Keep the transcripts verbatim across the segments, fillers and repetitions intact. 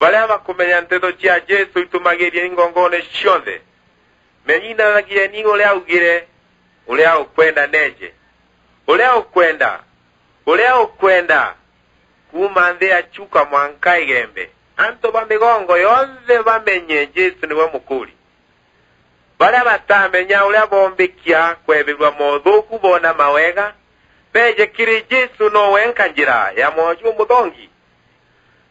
Baria bakumenya nteto cia Jesu itumagiria ingongone cionthe. Menyithanagieni uria augire, uria ukwenda neeje. Uria ukwenda, uria ukwenda, kuuma nthi ya Chuka mwanka Igembe, antu ba migongo yonthe bamenye Jesu niwe Mukuri. Baria batamenya uria boombikia kwebirua moothuku boona mawega, beeje kiri Jesu, nowe nka njira ya mwoyo jumuthongi.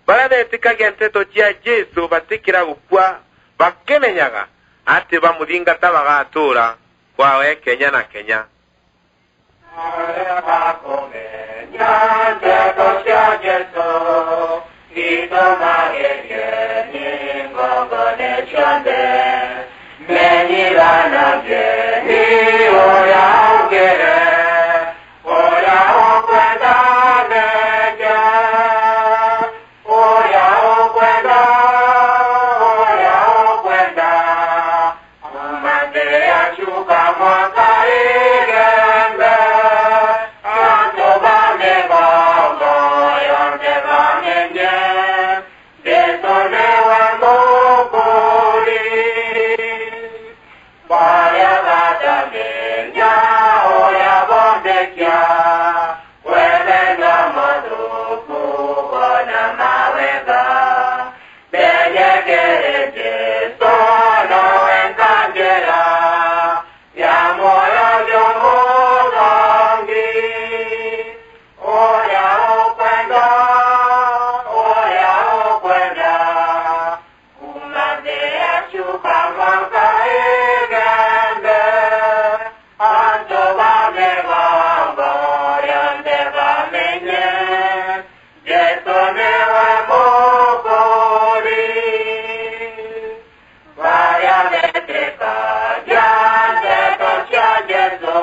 Baria beetikagia nteto cia Jesu batikira gukua, bakimenyaga ati bamuthingata bagatuura kwawe kenya na kenya. Aria bakumenya nteto cia Jesu, itumagirieni ngongone cionthe. Menyithanagieni uria augire, uria ukwenda neeje, uria ukwenda, uria ukwenda. Kuuma nthi ya Chuka mwanka Igembe, antu ba migongo yonthe bamenye, Jesu niwe Mukuri. Baria batamenya uria boombikia kwebirua moothuku boona mawega, beeje kiri Jesu, nowe nka njira ya mwoyo jumuthongi. Uria ukwenda, uria ukwenda, kuuma nthi ya Chuka mwanka Igembe, antu ba migongo yonthe bamenye, Jesu niwe Mukuri. Baria beetikagia nteto cia Jesu,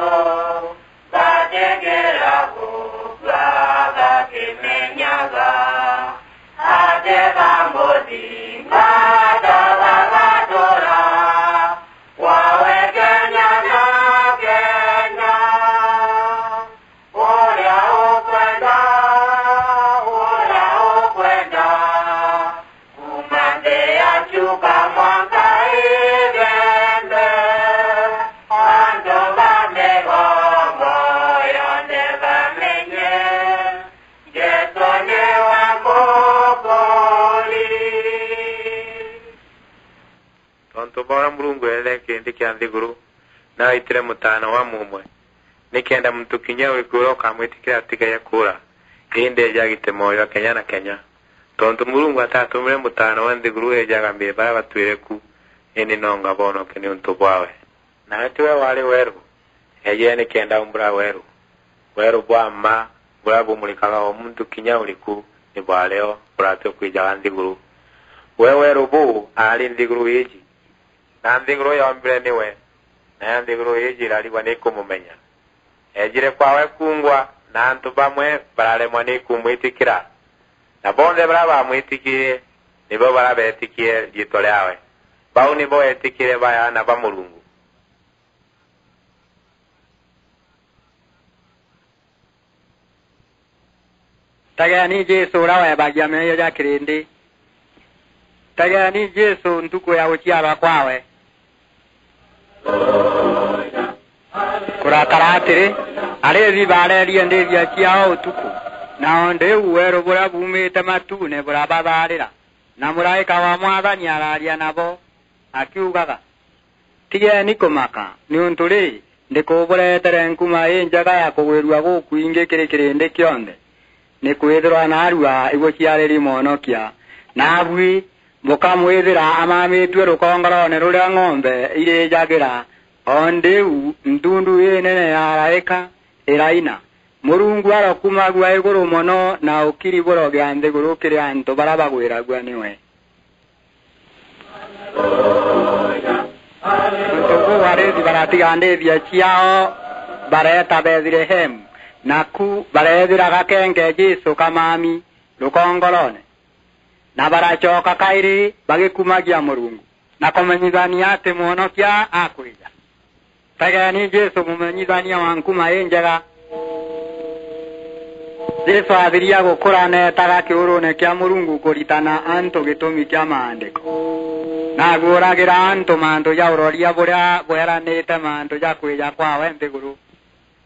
batikira gukua bakimenyaga ati bamuthingata bagatuura kwawe kenya na kenya. Uria ukwenda, uria ukwenda, kuuma nthi ya Chuka mwanka Igembe, antu ba migongo yonthe bamenye, Jesu niwe Mukuri. Tontu bwa uria Murungu eethire kirindi kia nthiguru, na aitire Mutaana wa mumwe, nikenda muntu kinya uriku uria ukamwitikira atigae kuura, indi eeje agite mwoyo kenya na kenya. Tontu Murungu atatumire Mutaana wa nthiguru eeje agamire baria batwire ku, indi nonga bonoke niuntu bwawe. Nawe tiwe waari weeru, eejire nikenda aumbura weeru. Weeru bwa mma buria bumurikaga o muntu kinya uriku ni bwaari o buratua kwijaga nthiguru. We weeru buu aari nthiguru iiji, na nthiguru yoombire niwe, nayo nthiguru iiji irarigwa ni kumumenya. Eejire kwawe kuungwa, na antu bamwe bararemwa ni kumwitikira, na bonthe baria bamwitikirie nibo baria beetikirie riitwa riaawe. Bau nibo eetikirie ba aana ba Murungu. Tegeeni Jesu uria weebagia meeyia ja kirindi. Tegeeni Jesu ntuku ya guciarwa kwawe. Kurakara atiri, ariithi baareerie ndiithia ciaao utuku, na o ndiu weeru buria buumite matuune burabathaarira, na muraika wa Mwathani araaria nabo, akiugaga, Tigeeni kumaka, niuntu ri, ndikubureetere nkuma injega ya kugwirua gukwingi kiri kirindi kionthe, nikwithirwa naarua ibuciariri Mwonokia, naabui bukamwithira amamitue rukongoroone ruria ng'ombe irijagira. O ndiu ntundu inene ya araika iraina, Murungu arokumagua iguru mono, na ukiri burogea nthiguru kiri antu baria bagwiragua niwe. Nontu buu, ariithi baratiga ndiithia ciaao, bareeta Bethlehemu, naku bareethira gakenge Jesu kamami rukongoroone, na baracoka kairi bagikumagia Murungu, na kumenyithania ati Mwonokia akwija. Tegeeni Jesu, mumenyithania wa nkuma injega. Jesu athiria gukura, neetaga kiuruune kia Murungu kuritana antu gitumi kia Maandiko. Naaguuragira antu mantu ja uroria buria bweranite mantu ja kwija kwawe nthiguru.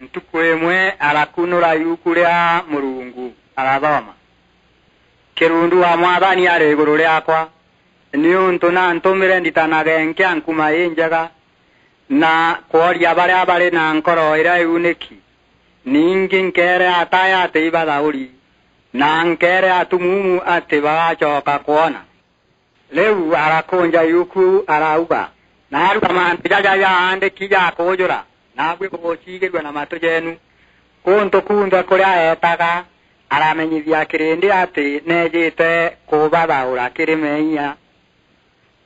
Ntuku imwe arakunura iuku ria Murungu, arathoma, "Kirundu wa Mwathani ari iguru riakwa, niuntu nantumire nditanage nkia nkuma injega, na kworia baria bari na nkoro iria iuniki. Ningi nkeere ataya ati ibathauri, na nkeere atumuumu ati bagacoka kwona." Riu arakunja iuku, arauga, "Naarua mantu jaja jaandiki ja kuujura, naabui buguciigirua na matu jeenu." Kuntu kunthe kuria eetaga, aramenyithia kirindi ati neejite kubathaura kiri meeyia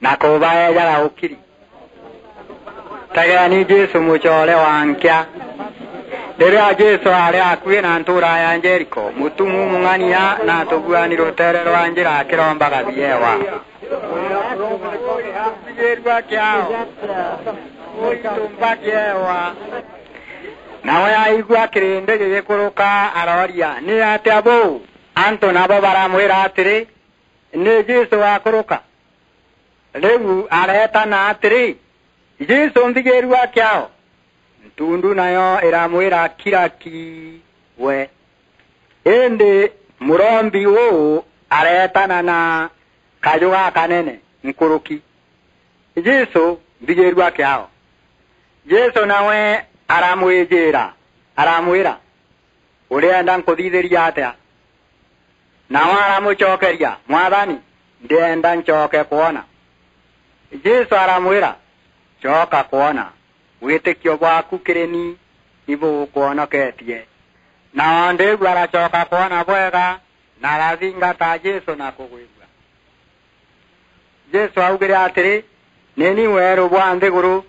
na kubaejaga ukiri. Tegeeni Jesu, mucoore wa nkia. Riria Jesu aari akui na ntuura ya Jeriko, mutumuumu ng'ania na atuguani ruteere rwa njira akirombaga biewa. Nawe aigua kirindi gigikuruka, arooria, "Ni atia buu?" Antu nabo baramwira atiri, "Ni Jesu wakuruka." Riu areetana atiri, "Jesu, nthigirua kiao!" Ntundu nayo iramwira, "Kira ki we." Indi murombi uu areetana na kaju gakanene nkuruki, "Jesu, nthigirua kiao!" Jesu nawe aramwijira, aramwira, "Urienda nkuthithirie atia?" Nawe aramucokeria, "Mwathani, ndienda ncoke kwona." Jesu aramwira, "Coka kwona, witikio bwaku kiri ni ibugukwonoketie." Na o ndiu aracoka kwona bwega, na arathingata Jesu na kugwirua. Jesu augire atiri, "Ni ni weeru bwa nthiguru.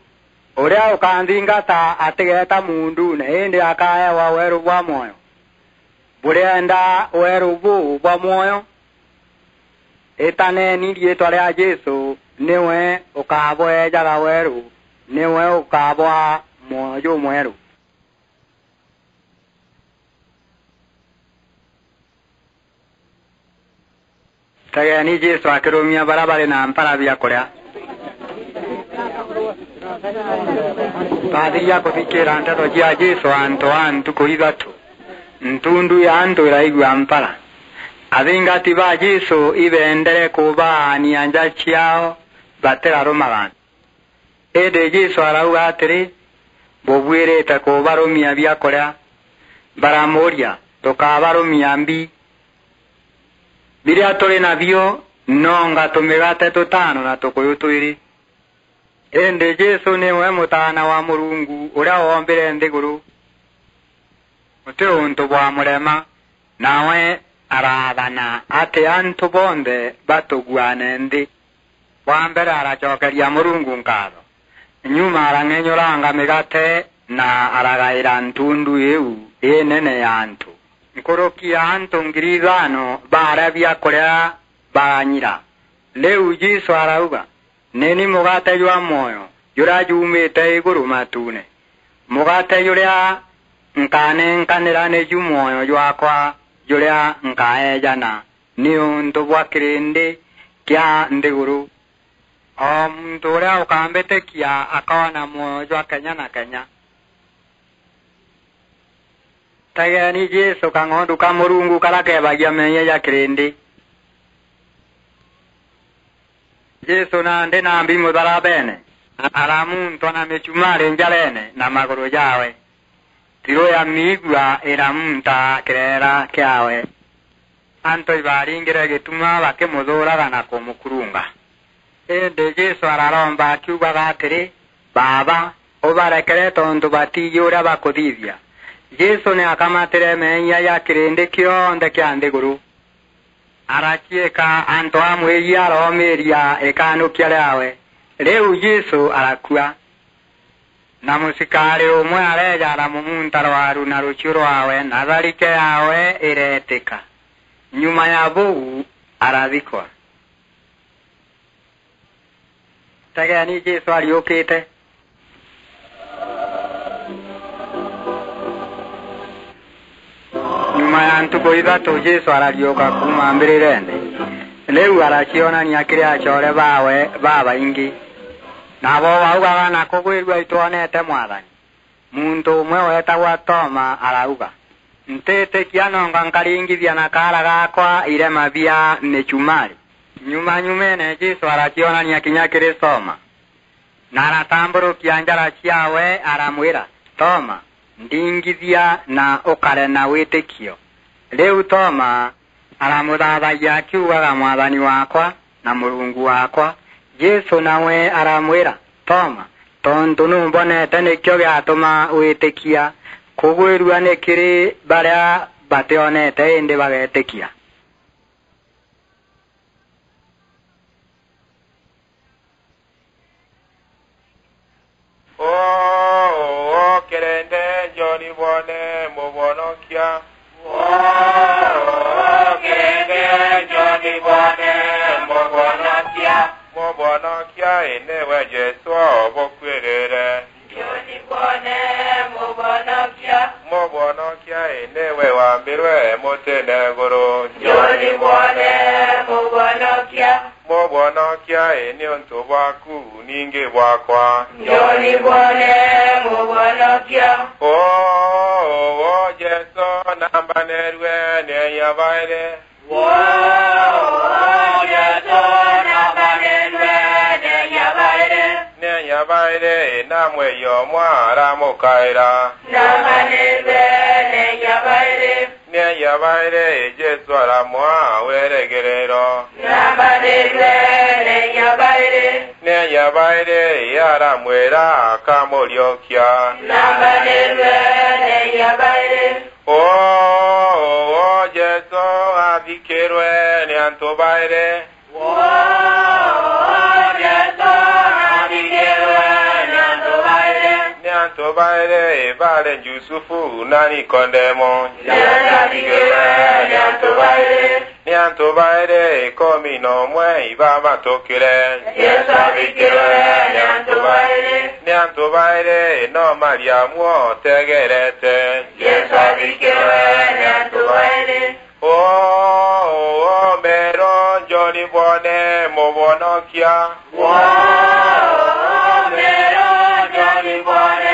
Uria ukanthingata atigeeta muunduune, indi akaewa weeru bwa mwoyo." Burienda weeru buu bwa mwoyo? Itaneni riitwa ria Jesu, niwe ukabweejaga weeru, niwe ukabwaa mwoyo jumweeru. Tegeeni Jesu akirumia baria bari na mpara bia kuria. Bathiria kuthikira nteto cia Jesu antu a ntuku ithatu, ntundu ya antu iraigua mpara. Athingati ba Jesu ibeendere kubaania nja ciao, batirarumaga. Indi Jesu arauga atiri, "Bubuirite kubarumia biakuria." Baramuuria, "Tukabarumia mbi? Biria turi nabio nonga tumigate tutano na tukuyu twiri." Indi Jesu niwe Mutaana wa Murungu uria woombire nthiguru. Guti untu bwamurema. Nawe araathana ati antu bonthe batuguane nthi. Bwa mbere aracokeria Murungu nkaatho. Nyuma arang'enyuranga migate na aragaira ntundu iu inene ya antu. Nkuruki ya antu ngiri ithano baaria biakuria baranyira. Riu Jesu arauga, "Ni ni mugate jwa mwoyo juria juumite iguru matuune. Mugate juria nkanenkanira niju mwoyo jwakwa juria nkaejana niuntu bwa kirindi kia nthiguru. O muntu uria ukambitikia akoona mwoyo jwa kenya na kenya." Tegeeni Jesu, kang'ondu ka Murungu karia keebagia meeyia ja kirindi. Jesu nandi nambi mutharabene, aramuntwa na michumari njarene na maguru jawe. Thiru ya miigua iramunta kireera kiawe. Antu ibaringire gituma bakimuthuuraga na kumukurunga. Indi Jesu araromba akiugaga atiri, "Baaba, ubarekere tontu batiiji uria bakuthithia." Jesu ni akamatire meeyia ja kirindi kionthe kia nthiguru. Araciika antu a mwiiji, aroomiiria ikanukia riawe. Riu Jesu arakua. Na mucikaari umwe areeja aramumunta rwaru na ruchiu rwawe, na tharike yaawe ireetika. Nyuma ya buu, arathikwa. Tegeeni Jesu ariukite. Nyuma ya ntuku ithatu, Jesu arariuka kuuma mbirire nthi. Riu aracionania kiri acoore baawe babaingi. Nabo baugaga na kugwirua, "Itwonete Mwathani." Muntu umwe weetagwa Toma arauga, "Ntiitikia, nonga nkaringithia na kaara gaakwa irema bia michumari, nyuma nyumene." Jesu aracionania kinya kiri Toma, na aratamburukia njara ciaawe, aramwira, "Toma, ndingithia na ukare na witikio." Riu Toma aramuthathagia akiugaga, "Mwathani waakwa na Murungu waakwa." Jesu nawe aramwira, "Toma, tontu numbonete nikio giatuma witikia. Kugwirua ni kiri baria bationete indi bagetikia." Oo, oo, kerende, njoni bwone Mubwonokia. Oo, oo, kerende, njoni bwone Mubwonokia. Mubwonokia, ii niwe Jesu ubukwirire. Njoni bwone Mubwonokia. Mubwonokia, ii niwe wambirwe mutine iguru. Njoni bwone Mubwonokia. Mubwonokia, ii niuntu bwaku ningi bwakwa. Njoni bwone Mubwonokia. Oo, oo, Jesu nambanirue ni enya bairi. Oo, oo, Jesu nambanirue ni enya bairi. Ni enya bairi, na mwei umwe aramukaira. Nambanirue ni enya bairi. Ni enya bairi, Jesu aramwaa weregerero. Nambanirue ni enya bairi. Ni enya bairi, aramwira akamuriukia. Nambanirue ni enya bairi. Oo, oo, Jesu athikirwe ni antu bairi. Oo, oo, Jesu athikirwe ni antu bairi. Ni antu bairi, bari Jusufu na Nikodemo. Jesu athikirwe ni antu bairi. Ni antu bairi ikumi na umwe ibabatukire. Jesu athikirwe ni antu bairi. Ni antu bairi no Mariamu otegerete. Jesu athikirwe ni antu bairi. Oo, oo, meero, njoni bwone Mubwonokia. Oo, oo, meero, njoni bwone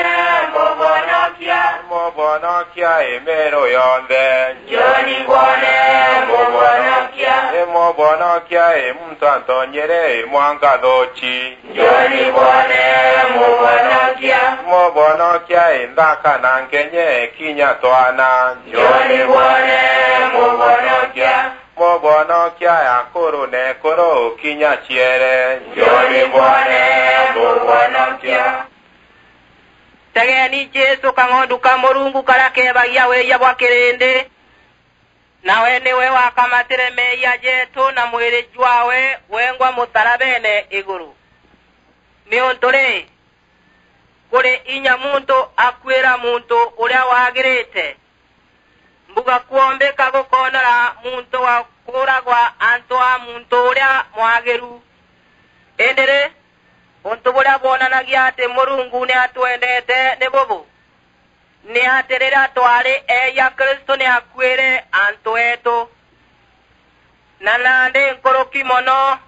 Mubwonokia. Mubwonokia ii meero yonthe. Njoni bwone Mubwonokia. Ii Mubwonokia ii muntu antonyere ii mwanka thuuchi. Njoni bwone Mubwonokia. Mubwonokia ii nthaka na nkenye kinya twana. Njoni bwone Mubwonokia. Mubwonokia ii akuru na ekuru kinya ciere. Njoni bwone Mubwonokia. Tegeni Jesu, kang'ondu ka Murungu karia keebagia wiiya bwa kirindi. Nawe niwe wakamatire meeyia jeetu na mwiri jwaawe wengwa mutarabeene iguru. Niuntu ri, kuri inya muntu akuira muntu uria waagirite? Mbuga kwombika gukoonora muntu wa kuuragwa antu a muntu uria mwagiru. Indi ri, untu buria bwonanagia ati Murungu ni atwendete ni bubu, ni ati riria twari eeyia, Kristu ni akuire antu eetu. Na nandi nkuruki mono,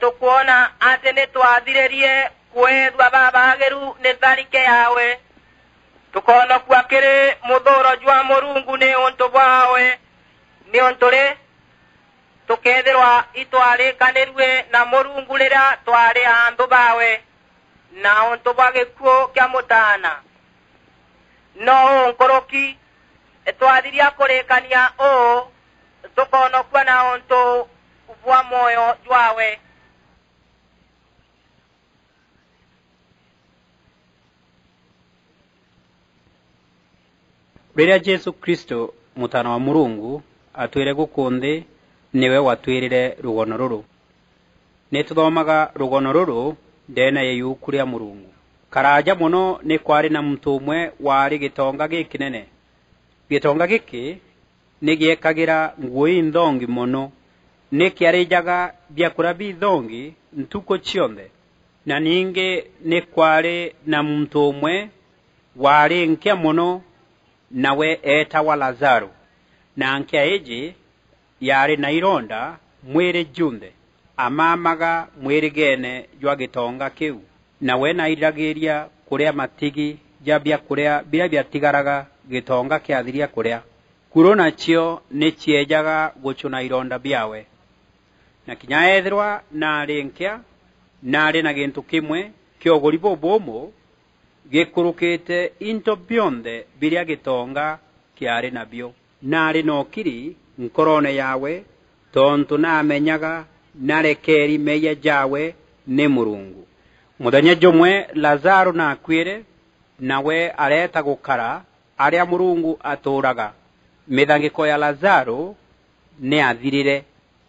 tukwona ati ni twathiririe kweethua babaagiru ni tharike yaawe, tukoonokua kiri muthuuro jwa Murungu ni untu bwaawe. Niuntu ri, tukeethirwa itwarikanirue na Murungu riria twari anthu baawe, na untu bwa gikuu kia Mutaana. No uu nkuruki, twathiria kurikania uu, tukoonokua na untu bwa mwoyo jwaawe. Riria Jesu Kristu, Mutaana wa Murungu, atwire guku nthi, niwe watwirire rugono ruru. Ni tuthomaga rugono ruru ndeene ya iuku ria Murungu. Karaaja mono ni kwaari na muntu umwe waari gitonga gikinene. Gitonga giki ni giekagira nguu inthongi mono, ni kiarijaga biakuria bithongi ntuku cionthe. Na ningi ni kwaari na muntu umwe waari nkia mono, nawe eetagwa Lazaro. Na nkea iji yaari na ironda mwiri junthe, amamaga mwirigeene jwa gitonga kiu, nawe nairiragiria kuria matigi ja biakuria biria biatigaraga gitonga kiathiria kuria. Kuro nacio ni cieejaga gucuna ironda biawe. Na kinya eethirwa naari nkea, naari na gintu kimwe kia uguri bubuumu gikurukite into bionthe biria gitonga kiari nabio. Naari na ukiri nkoroone yaawe, tontu naamenyaga narekeeri meeyia jaawe ni Murungu. Muthenya jumwe Lazaro naakuire, nawe areeta gukara aria Murungu atuuraga. Mithangiko ya Lazaro ni athirire.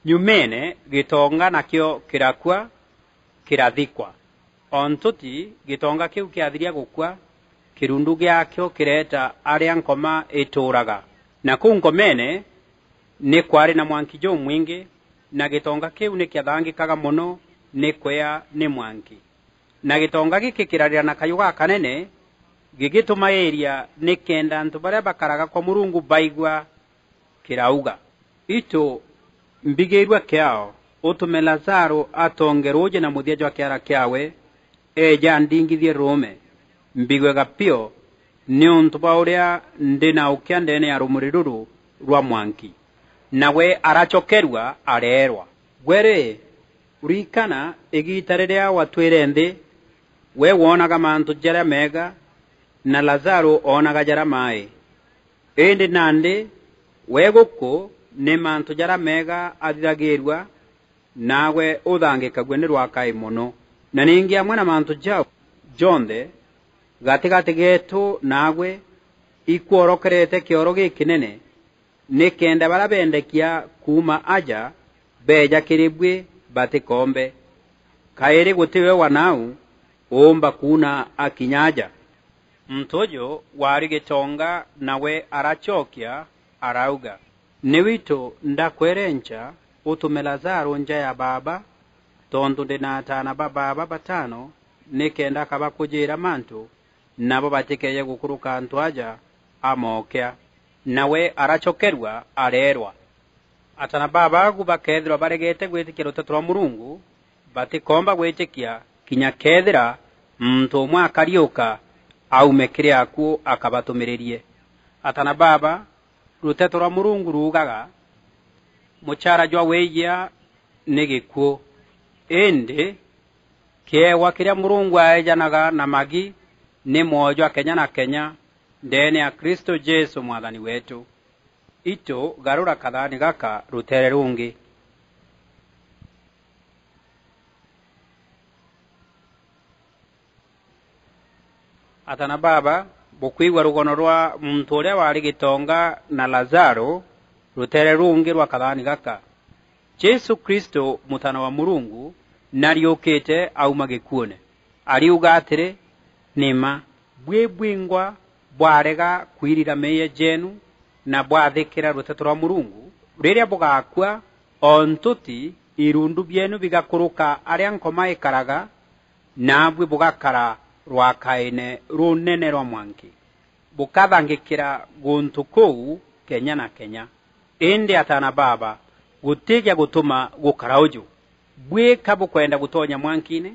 Nyumeene, gitonga nakio kirakua, kirathikwa. O ntuti gitonga kiu kiathiria gukua, kirundu giakio kireeta aria nkoma ituuraga. Na kuu nkomeene ni kwaari na mwanki jumwingi, na gitonga kiu ni kiathangikaga mono ni kwea ni mwanki. Na gitonga giki kirarira na kayu gakanene, gigitumairia nikenda antu baria bakaraga kwa Murungu baigua, kirauga, "Itu, mbigiirua kiao, utume Lazaro atonge ruuji na muthia jwa kiara kiawe, eeje andingithie ruume, mbigue gapio, niuntu bwa uria ndi na ukia ndeene ya rumuri ruru rwa mwanki." Nawe aracokerua, areerwa, "Gwe ri, ririkana igiita riria watwire nthi, we woonaga mantu jaria meega, na Lazaro oonaga jaria mai. Indi nandi, we guku ni mantu jaria meega athithagiirua, naagwe uthangikagua ni rwakai mono. Na ningi amwe na mantu jau jonthe, gatigati geetu naagwe ikworokerete kioro gikinene, nikenda baria bendekia kuuma aja beeja kiri bui batikoombe. Kairi guti we wa nau uumba kuuna akinya aja." Muntu uju waari gitonga nawe aracokia, arauga, "Ni witu ndakwerenca utume Lazaro nja ya baaba, tontu ndi na ataana ba baaba batano, nikenda akabakujiira mantu, nabo batikeeje gukuruka antu aja amokea." Nawe aracokerua, areerwa, "Ataana ba baagu bakeethirwa baregete gwitikia ruteto rwa Murungu, batikoomba gwitikia kinya keethira muntu umwe akariuka aume kiri akuu akabatumiririe." Ataana baaba, ruteto rwa Murungu ruugaga, "Muchaara jwa wiiyia ni gikuu, indi kiewa kiria Murungu aejanaga na magi ni mwoyo jwa kenya na kenya ndeene ya Kristo Jesu Mwathani weetu." Itu, garura kathaani gaka ruteere rungi. Ataana baaba, bukwigua rugono rwa muntu uria waari gitonga na Lazaro, ruteere rungi rwa kathaani gaka. Jesu Kristo, Mutaana wa Murungu, nariukite auma gikuune. Ariuga atiri, "Ni mma, bui bwingwa bwarega kwirira meeyia jeenu na bwathikira ruteto rwa Murungu, riria bugakua, o ntuti irundu bieenu bigakuruka aria nkoma ikaraga, naabui bugakara rwakaine runene rwa mwanki, bukathangikira guntu kuu kenya na kenya." Indi ataana baaba, guti gia gutuma gukara uju. Bui ka bukwenda gutonya mwankiine?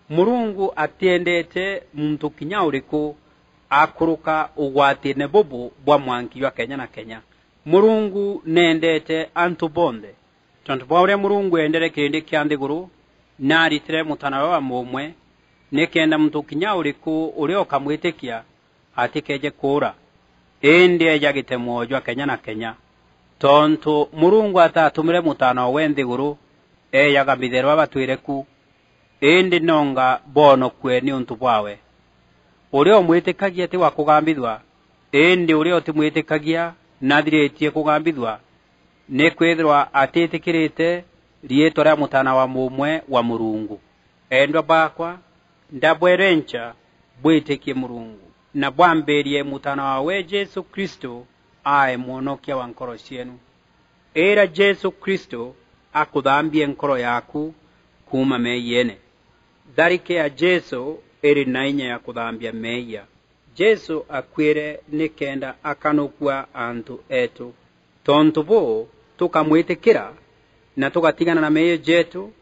Murungu atiendete muntu kinya uriku akuruka ugwatiine bubu bwa mwanki jwa kenya na kenya. Murungu neendete antu bonthe. Tontu bwa uria Murungu eendere kirindi kia nthiguru, naaritire Mutaana wa mumwe, nikenda muntu kinya uriku uria ukamwitikia atikeeje kuura, indi eejagite mwoyo jwa kenya na kenya. Tontu Murungu ataatumire Mutaana owe nthiguru eejaga mitherwa batwire ku, indi nonga boonokue niuntu bwawe. Uria umwitikagia ti wa kugambithua, indi uria utimwitikagia nathiritie kugambithua, nikwithirwa atitikirite riitwa ria Mutaana wa mumwe wa Murungu. Endwa baakwa, ndabwerenca bwitikie Murungu, na bwambirie Mutaana wawe Jesu Kristo ae mwonokia wa nkoro cieenu. Ira Jesu Kristo akuthambie nkoro yaaku kuuma meeyiene. Tharike ya Jesu iri na inya ya kuthambia meeyia. Jesu akuire nikenda akanukua antu eetu. Tontu buu, tukamwitikira na tugatigana na meeyia jeetu,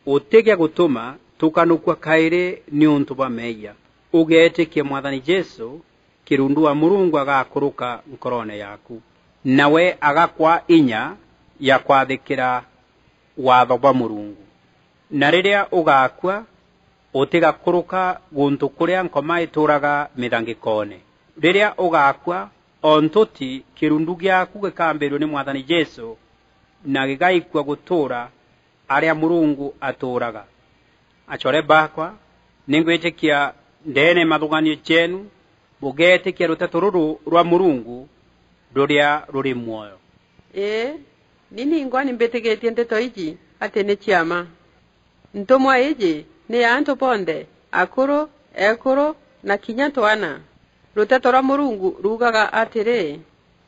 utigia gutuma tukanukua kairi niuntu bwa meeyia. Ugeetikia Mwathani Jesu, kirundu wa Murungu agakuruka nkoroone yaaku, nawe agakwa inya ya kwathikira waatho bwa Murungu. Na riria ugakua, utigakuruka guntu kuria nkoma ituuraga mithangikoone. Riria ugakua, o ntuti kirundu giaaku gikambirua ni Mwathani Jesu, na gigaikua gutuura aria Murungu atuuraga. Acoore baakwa, ni ngwitikia ndeene ya mathuganio jeenu, bugeetikia ruteto ruru rwa Murungu ruria ruri mwoyo. Ii, ni ningwa ni mbitigitie nteto iji ati ni cia mma. Ntumwa iji ni ya antu bonthe, akuru, ekuru, na kinya twana. Ruteto rwa Murungu ruugaga atiri,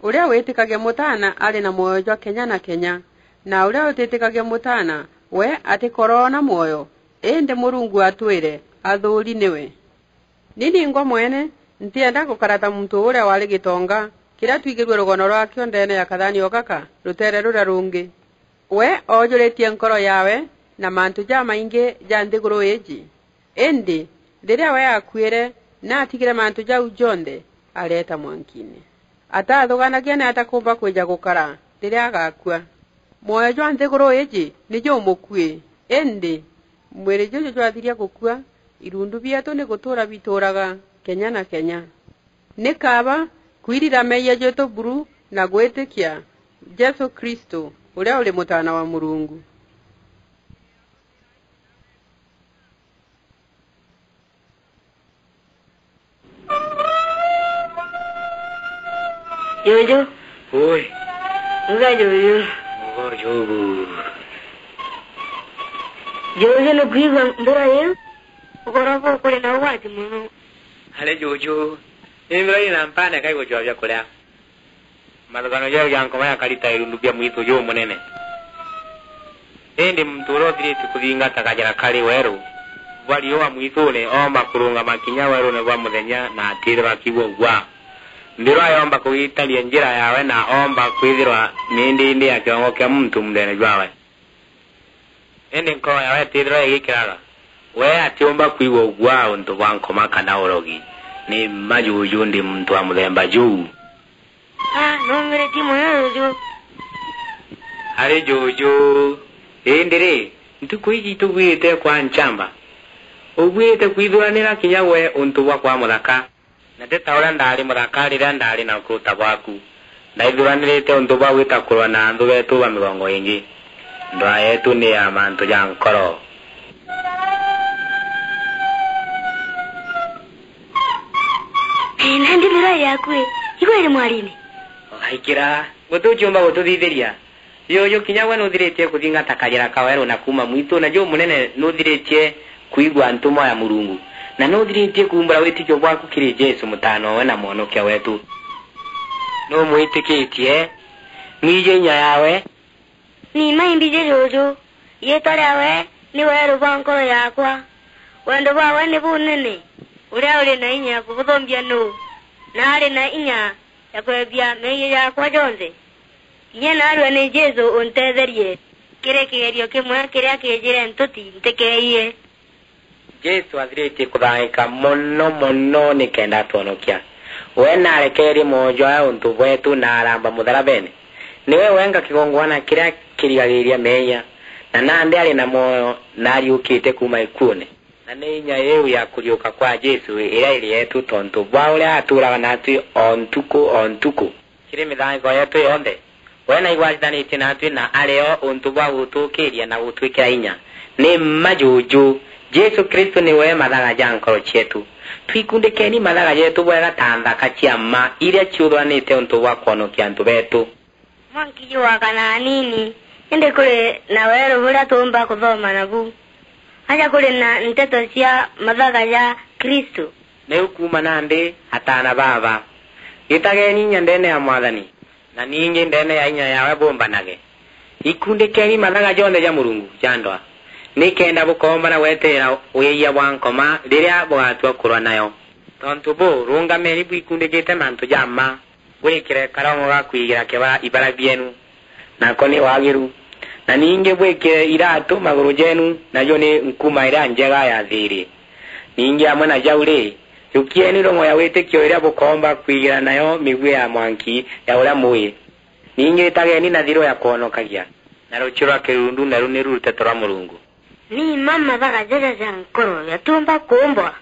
"Uria witikagia Mutaana ari na mwoyo jwa kenya na kenya, na uria utitikagia Mutaana, we atikoroona mwoyo, indi Murungu atwire athuuri niwe." Ni ningwa mwene, ntienda gukara ta muntu uria wari gitonga, kiria twigirue rugono rwakio ndeene ya kathani o gaka, ruteere ruria rungi. We oojuritie nkoro yaawe na mantu jamaingi ja nthiguru iiji. Indi riria we aakuire, naatigire mantu jau jonthe, areeta mwankiine. Ataathuganagia ni atakuumba kwija gukara riria agakua. Mwoyo jwa nthiguru iiji ni jumukui, indi mwiri juju jwathiria gukua, irundu bieetu ni gutuura bituuraga kenya na kenya. Ni kaaba kwirira meeyia jeetu buru na gwitikia Jesu Kristu, uria uri Mutaana wa Murungu. Juju. Ui. Uga juju. Uga juju. Juju, nukwigua mbura iu? Ugoro buu kuri na ugwati mono. Ari juju, ni mbura ina mpane kaigwa jwa biakuria. Mathuganio jau ja nkoma jakarita irundu bia mwitu jumunene. Indi muntu uria uthiritie kuthingata kajira kari weru bwa riua mwitune oomba kurungama kinya werune bwa muthenya na atithirwa akigua ugwaa. Mbirwa yomba kugitaria njira yawe na oomba kwithirwa ni ndindi ya kiongo kia muntu munthene jwawe. Indi nkoro yawe itithirwa igikiraga. We atiumba kwigua ugwaa untu bwa nkoma kana urogi. Ni mma juju ndi muntu wa muthemba juu. Ah, nuumiritie mono juju. Ari juju, indi ri, ntuku iji itubwirite kwa nchamba. Ubwirite kwithuranira kinya we untu bwa kwa muthaka. Na ti ta uria ndaari muthaka riria ndaari na ukuruta bwaku. Ndaithuranirite untu bwa gwita kurwa na anthu beetu ba migongo ingi. Ndwaa yeetu ni ya mantu ja nkoro. Nandi mirai yaku i, igwe iri mwariine. Ugaikira, guti uciumba gututhithiria. Juju, kinya gwe nuthiritie kuthingata kajira ka weru na kuuma mwitune jumunene, nuthiritie kwigua ntumwa ya Murungu, na nuthiritie kuumbura witikio bwaku kiri Jesu, Mutaana owe na Mwonokia weetu. Numwitikitie? Mwiji inya yawe. Ni mma imbiji juju, riitwa riawe ni weru bwa nkoro yakwa. Wendo bwawe ni bunene, uria uri na inya ya kubuthumbia nuu, na ari na inya ya kwebia meeyia jakwa jonthe? Kinya naarua ni Jesu untetherie kiri kigerio kimwe kiria kiijire ntuti ntikeeyie. Jesu athiritie kuthangika mono mono nikenda atwonokia. We naarekeerie mwoyo jwawe untu bweetu na aramba mutharabene. Niwe wenka kigongwana kiria kirigagiriria meeyia, na nandi ari na mwoyo na ariukite kuuma ikuune. Na ni inya iu ya kuriuka kwa Jesu iria iri yeetu tontu bwa uria atuuraga naatwi o ntuku o ntuku. Kiri mithangiko yeetu yonthe, we naigwatithanitie naatwi na ari o untu bwa gutuukiiria na gutwikira inya. Ni mma juju, Jesu Kristu niwe mathaga ja nkoro cieetu. Twikundikeni mathaga jeetu bwega ta nthaka cia mma iria ciuthuranite untu bwa kwonokia antu beetu. Mwanki jugakana anini, indi kuri na weeru buria tuumba kuthoma nabu. Aja kuri na nteto cia mathaga ja Kristu. Niu kuuma nandi, ataana baaba, gitageni inya ndeene ya Mwathani, na ningi ndeene ya inya yawe bumbanage. Ikundikeni mathaga jonthe ja Murungu ja ndwaa, nikenda bukoomba na gweterera wiiyia bwa nkoma riria bugatua kurwa nayo. Tontu buu, rungameni bwikundikite mantu ja mma, Bwikire karongo ga kwigira keba ibara bienu, nako ni wagiru. Na ningi bwikire iratu maguru jenu, najo ni nkuma iria njega ya thiiri. Ningi amwe na jau ri, jukieni rong'o ya witikio iria bukoomba kwigira nayo migui ya mwanki ya uria mui. Ningi itageni na thiru ya kwonokagia, na ruchiu rwa kirundu, naru niru ruteto rwa Murungu. Ni mma mathaga jaja ja nkoro jatiumba kuumbwa.